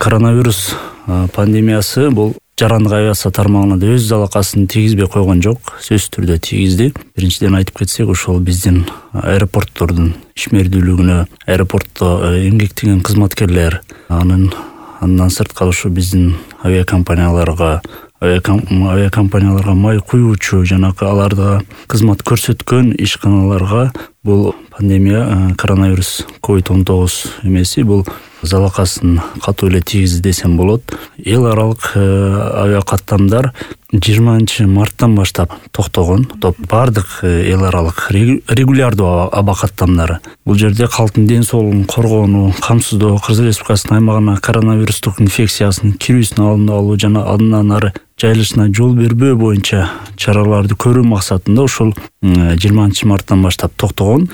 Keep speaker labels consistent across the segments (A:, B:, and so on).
A: Коронавирус пандемиясы бул жарандык авиация тармагына да өз залакасын тийгизбей койгон жок, сөзсүз түрдө тийгизди. Биринчиден айтып кетсек, ошол биздин аэропорттордун ишмердүүлүгүнө, аэропортто эмгектеген кызматкерлер, андан сырткары ушу биздин авиакомпанияларга май куюучу жана аларга кызмат көрсөткөн ишканаларга бул пандемия, коронавирус COVID-19 эмеси бул залакасын катуу эле тийгизди десем болот. Эл аралык авиакаттамдар 20 марттан баштап токтогон. Бардык эл аралык регулярдуу аба каттамдары. Бул жерде калктын ден соолугун коргоону, камсыздоо, Кыргыз Республикасынын аймагына коронавирустук инфекциясынын кирүүсүнүн алдын алуу жана андан ары жайылышына жол бербөө боюнча чараларды көрүү максатында ушул 20 марттан баштап токтогон.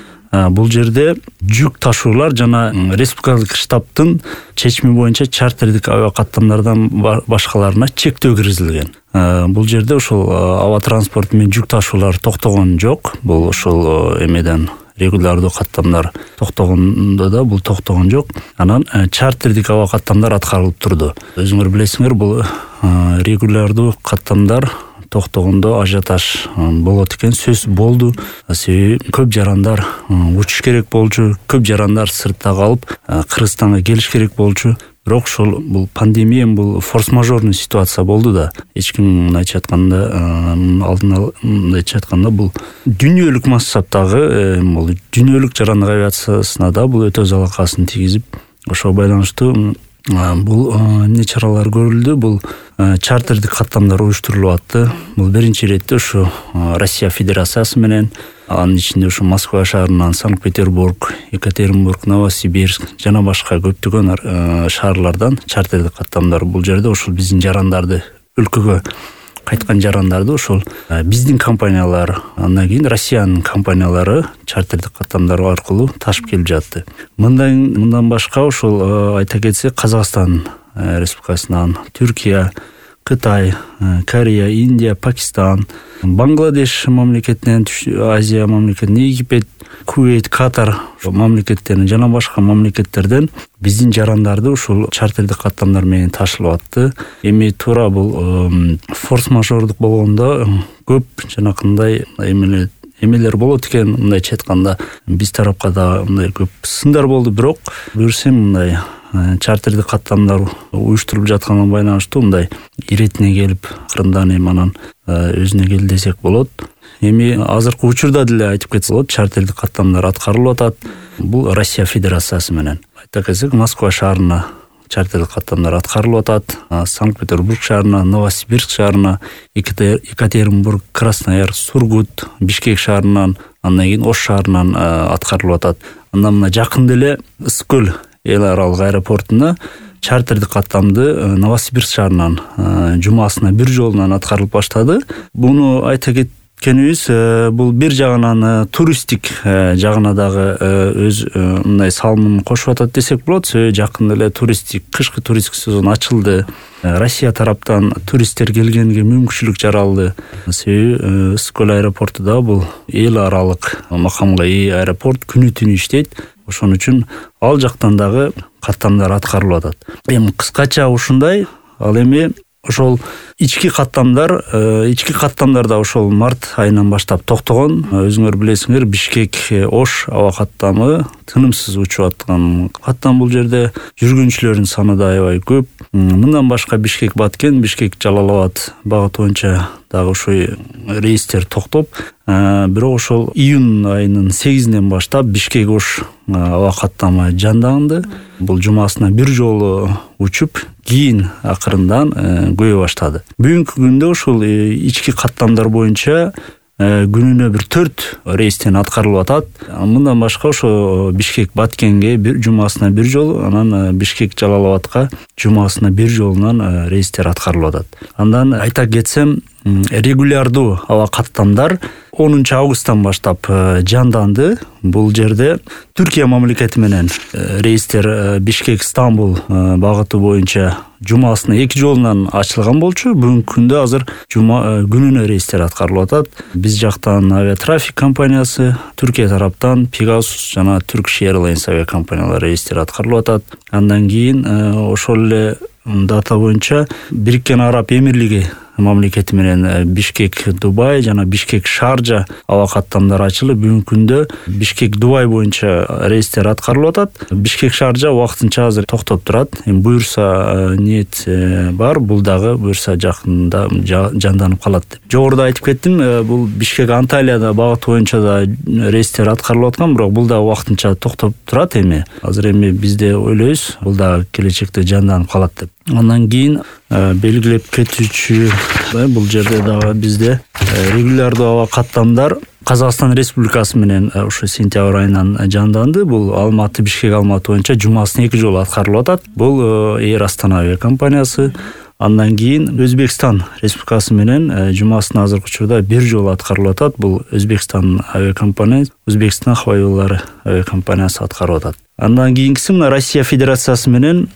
A: Бул жерде жүк ташуулар жана республикалык штабтын чечими боюнча чартердик авиакаттамдардан башкаларына чектөө киргизилген. Бул жерде ошол аба транспорту менен жүк ташуулар токтогон жок. Бул ошол эмеден регулярдуу каттамдар токтогондо да бул токтогон жок. Анан чартердик аба каттамдар аткарылып турду. Өзүңөр билесиңер, бул регулярдуу каттамдар токтогондо ажиотаж болот экен, сөз болду. Себеби көп жарандар учуш керек болчу, көп жарандар сыртта калып Кыргызстанга келиш керек болчу. Бирок ошол бул пандемия, бул форс-мажорный ситуация болду да. Эч ким мындайча айтканда бул дүйнөлүк массаптагы бул дүйнөлүк жарандык авиациясына да бул өтө залакасын тийгизип, ошого байланыштуу бул эмне чаралар көрүлдү. Бул чартердик каттамдар уюштурулуп атты. Бул биринчи иретте ушу Россия Федерациясы менен, анын ичинде ушу Москва шаарынан Санкт-Петербург, Екатеринбург, Новосибирск жана башка көптөгөн шаарлардан чартердик каттамдар. Бул жерде ушул биздин жарандарды, өлкөгө кайткан жарандарды ошол биздин компаниялар, андан кийин Россиянын компаниялары чартердик каттамдар аркылуу ташып келип жатты. Мындан башка ошол айта кетсек, Казакстан Республикасынан Түркия, Кытай, Корея, Индия, Пакистан, Бангладеш мамлекетинен, Азия мамлекетинен, Египет, Кувейт, Катар мамлекеттеринен жана башка мамлекеттерден биздин жарандарды ушул чартердик каттамдар менен ташылып атты. Эми туура бул форс-мажордук болгондо көп жанакындай эмелер болот экен. Мындайча айтканда биз тарапка да мындай көп сындар болду, бирок буюрсем мындай чартердик каттамдар уюштурулуп жатканына байланыштуу мындай иретине келип, акырындан эми анан өзүнө кел десек болот. Эми азыркы учурда деле айтып кетсек болот, чартердик каттамдар аткарылып атат. Бул Россия Федерациясы менен. Айта кетсек, Москва шаарына чартердик каттамдар аткарылып атат. Санкт-Петербург шаарына, Новосибирск шаарына, Екатеринбург, Красноярск, Сургут, Бишкек шаарынан, андан кийин Ош шаарынан аткарылып атат. Андан мына жакында эле Ысык-Көл эл аралык аэропортуна чартердик каттамды Новосибирск шаарынан жумасына бир жолунан аткарылып баштады. Буну айта кеткенибиз, бул бир жагынан туристтик жагына дагы өз мындай салымын кошуп атат десек болот. Жакында эле кышкы туристтик сезон ачылды. Россия тараптан туристтер келгенге мүмкүнчүлүк жаралды. Себеби Ысык-Көл аэропорту да бул эл аралык макамга ээ аэропорт, күнү түнү иштейт. Ошон үчүн ал жактан дагы каттамдар аткарылып атат. Эми кыскача ушундай. Ал эми ошол ички каттамдар да ошол март айынан баштап токтогон. Өзүңөр билесиңер, Бишкек Ош аба каттамы тынымсыз учуп аткан каттам. Бул жерде жүргүнчүлөрдүн саны да аябай көп. Мындан башка Бишкек Баткен, Бишкек Жалалабад багыты боюнча дагы ошо рейстер токтоп, бирок ошол июнь айынын 8-ден баштап Бишкек Ош аба каттамы жанданды. Бул жумасына бир жолу учуп, кийин акырындан көбөй баштады. Бүгүнкү күндө ошол ички каттамдар боюнча күнүнө бир 4 рейстен аткарылып атат. Мындан башка ошо Бишкек Баткенге жумасына бир жолу, анан Бишкек Жалалабадка жумасына бир жолунан рейстер аткарылып атат. Андан айта кетсем, регулярдуу аба каттамдар 10 августтан баштап жанданды. Бул жерде Түркия мамлекети менен рейстер Бишкек Стамбул багыты боюнча жумасына 2 жолунан ачылган болчу. Бүгүнкү күндө азыр жума күнүнө рейстер аткарылып атат. Биз жактан авиатрафик компаниясы, Түркия тараптан Pegasus жана Turkish Airlines авиакомпаниялары рейстер аткарылып атат. Андан кийин ошол эле дата боюнча Бириккен Араб Эмирлиги мамлекети менен Бишкек Дубай жана Бишкек Шаржа аба каттамдары ачылып, бүгүнкү күндө Бишкек Дубай боюнча рейстер аткарылып атат. Бишкек Шаржа убактынча азыр токтоп турат. Эми буюрса ниет бар, бул дагы буюрса жакында жанданып калат деп. Жогоруда айтып кеттим, бул Бишкек Анталияда багыт боюнча да рейстер аткарылып аткан, бирок бул дагы убактынча токтоп турат эми. Азыр эми бизде ойлойбуз, бул дагы келечекте жанданып калат деп. Андан кийин белгилеп кетүүчү бул жерде дагы бизде регулярдуу аба каттамдар Казакстан Республикасы менен ушу сентябрь айынан жанданды. Бул Алматы Бишкек Алматы боюнча жумасына 2 жолу аткарылып атат. Бул Air Astana авиакомпаниясы. Андан кийин Өзбекстан Республикасы менен жумасына азыркы учурда 1 жолу аткарылып атат. Бул Өзбекстан авиакомпаниясы, Өзбекстан Хава жолдору авиакомпаниясы аткарып атат. Андан кийинкиси мына Россия Федерациясы менен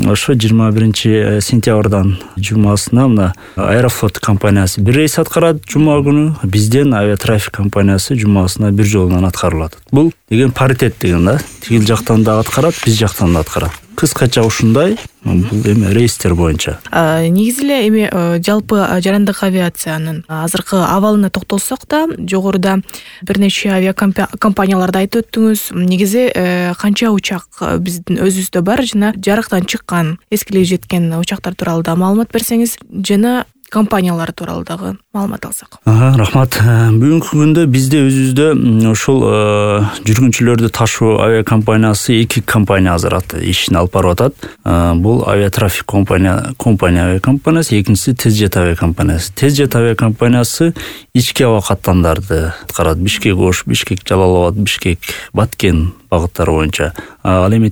A: ошо 21 сентябрдан жумасына мына Аэрофлот компаниясы 1 рейс аткарат жума күнү. Бизден авиатрафик компаниясы жумасына 1 жолунан аткарылат. Бул деген паритет деген да. Тигил жактан да аткарат, биз жактан да аткарат. Кыскача ушундай бул эми рейстер боюнча.
B: Негизи эле эми жалпы жарандык авиациянын азыркы абалына токтолсок да, жогоруда бир нече авиакомпанияларды айтып өттүңүз. Негизи канча учак биздин өзүбүздө бар жана жарыктан чыккан, эскилиги жеткен учактар тууралуу да маалымат берсеңиз, жана компаниялар тууралуу дагы маалымат алсак.
A: Рахмат. Бүгүнкү күндө бизде өзүбүздө ушул жүргүнчүлөрдү ташуу авиакомпаниясы 2 компания азыр ишин алып барып атат. Бул авиатрафик компания авиакомпаниясы, экинчиси Тезжет авиакомпаниясы. Тезжет авиакомпаниясы ички аба каттамдарды аткарат. Бишкек Ош, Бишкек Жалал Абад, Бишкек Баткен багыттары боюнча. Ал эми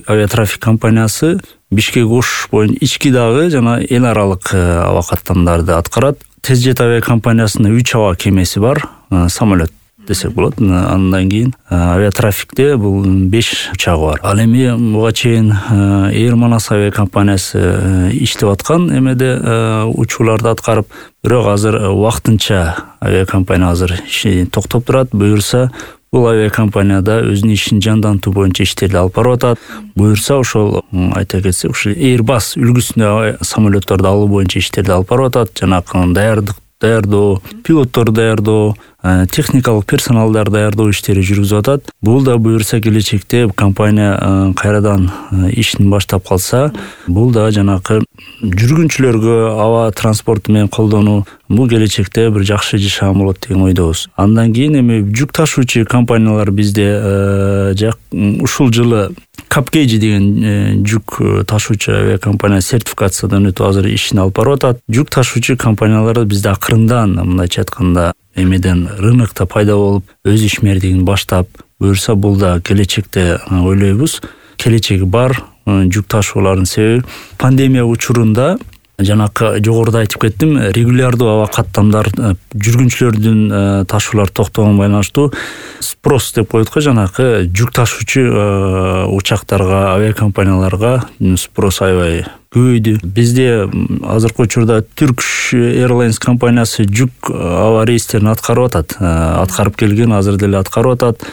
A: авиатрафик компаниясы Бишкек Ош боюнча ички дагы жана эл аралык аба каттамдарды аткарат. Тезжет авиакомпаниясынын 3 аба кемеси бар, самолет десек болот. Андан кийин авиатрафикте бул 5 учагы бар. Ал эми буга чейин Air Manas авиакомпаниясы иштеп аткан эмеде учууларды аткарып, бирок азыр убактынча авиакомпания азыр ишин токтоп турат. Буюрса бул авиакомпанияда өзүнүн ишин жандантуу боюнча иштерди алып барып атат. Буюрса ошол айта кетсек, ушул Airbus үлгүсүндө самолетторду алуу боюнча иштерди алып барып атат. Жанакы даярдоо, пилотторду даярдоо, техникалык персоналдар даярдоо иштери жүргүзүп атат. Бул да буюрса келечекте компания кайрадан ишин баштап калса, бул да жанакы жүргүнчүлөргө аба транспорту менен колдонуу бул келечекте бир жакшы жашаган болот деген ойдобуз. Андан кийин эми жүк ташуучу компаниялар бизде ушул жылы Капкейджи деген жүк ташуучу авиакомпания сертификациядан өтүп азыр ишин алып барып атат. Жүк ташуучу компаниялар бизде акырындан, мындайча айтканда, эмеден рынокто пайда болуп, өз ишмердигин баштап, буюрса бул да келечекте ойлойбуз, келечеги бар жүк ташуулардын себеби пандемия учурунда жанакы жогоруда айтып кеттим, регулярдуу аба каттамдар жүргүнчүлөрдүн ташуулар токтогонго байланыштуу спрос деп коет го, жанакы жүк ташуучу учактарга, авиакомпанияларга спрос аябай көбөйдү. Бизде азыркы учурда Turkish Airlines компаниясы жүк аба рейстерин аткарып атат. Аткарып келген, азыр деле аткарып атат.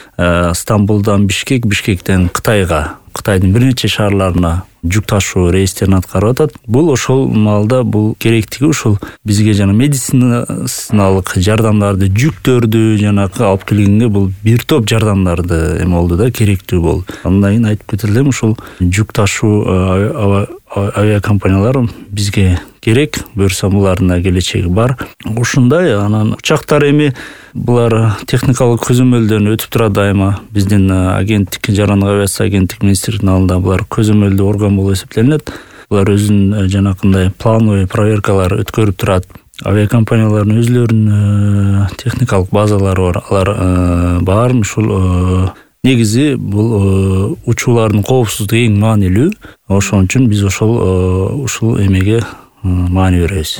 A: Стамбулдан Бишкек, Бишкектен Кытайга, Кытайдын бир нече шаарларына жүк ташуу рейстерин аткарып атат. Бул ошол маалда бул керектиги ушул бизге жана медициналык жардамдарды, жүктөрдү жанакы алып келгенге бул бир топ жардамдарды эме болду да, керектүү болду. Андан кийин айтып кетелем, ушул жүк ташуу авиакомпаниялар бизге керек, буюрса булардын да келечеги бар. Ушундай, анан учактар эми булар техникалык көзөмөлдөн өтүп турат дайыма. Биздин агенттик, жарандык авиация агенттик министрлигинин алдында булар көзөмөлдүү орган болуп эсептелинет. Булар өзүнүн жанакындай плановый проверкалар өткөрүп турат. Авиакомпаниялардын өзлөрүнүн техникалык базалары бар. Алар баарын ушул негизи бул учуулардын коопсуздугу эң маанилүү. Ошон үчүн биз ушул эмеге маани беребиз.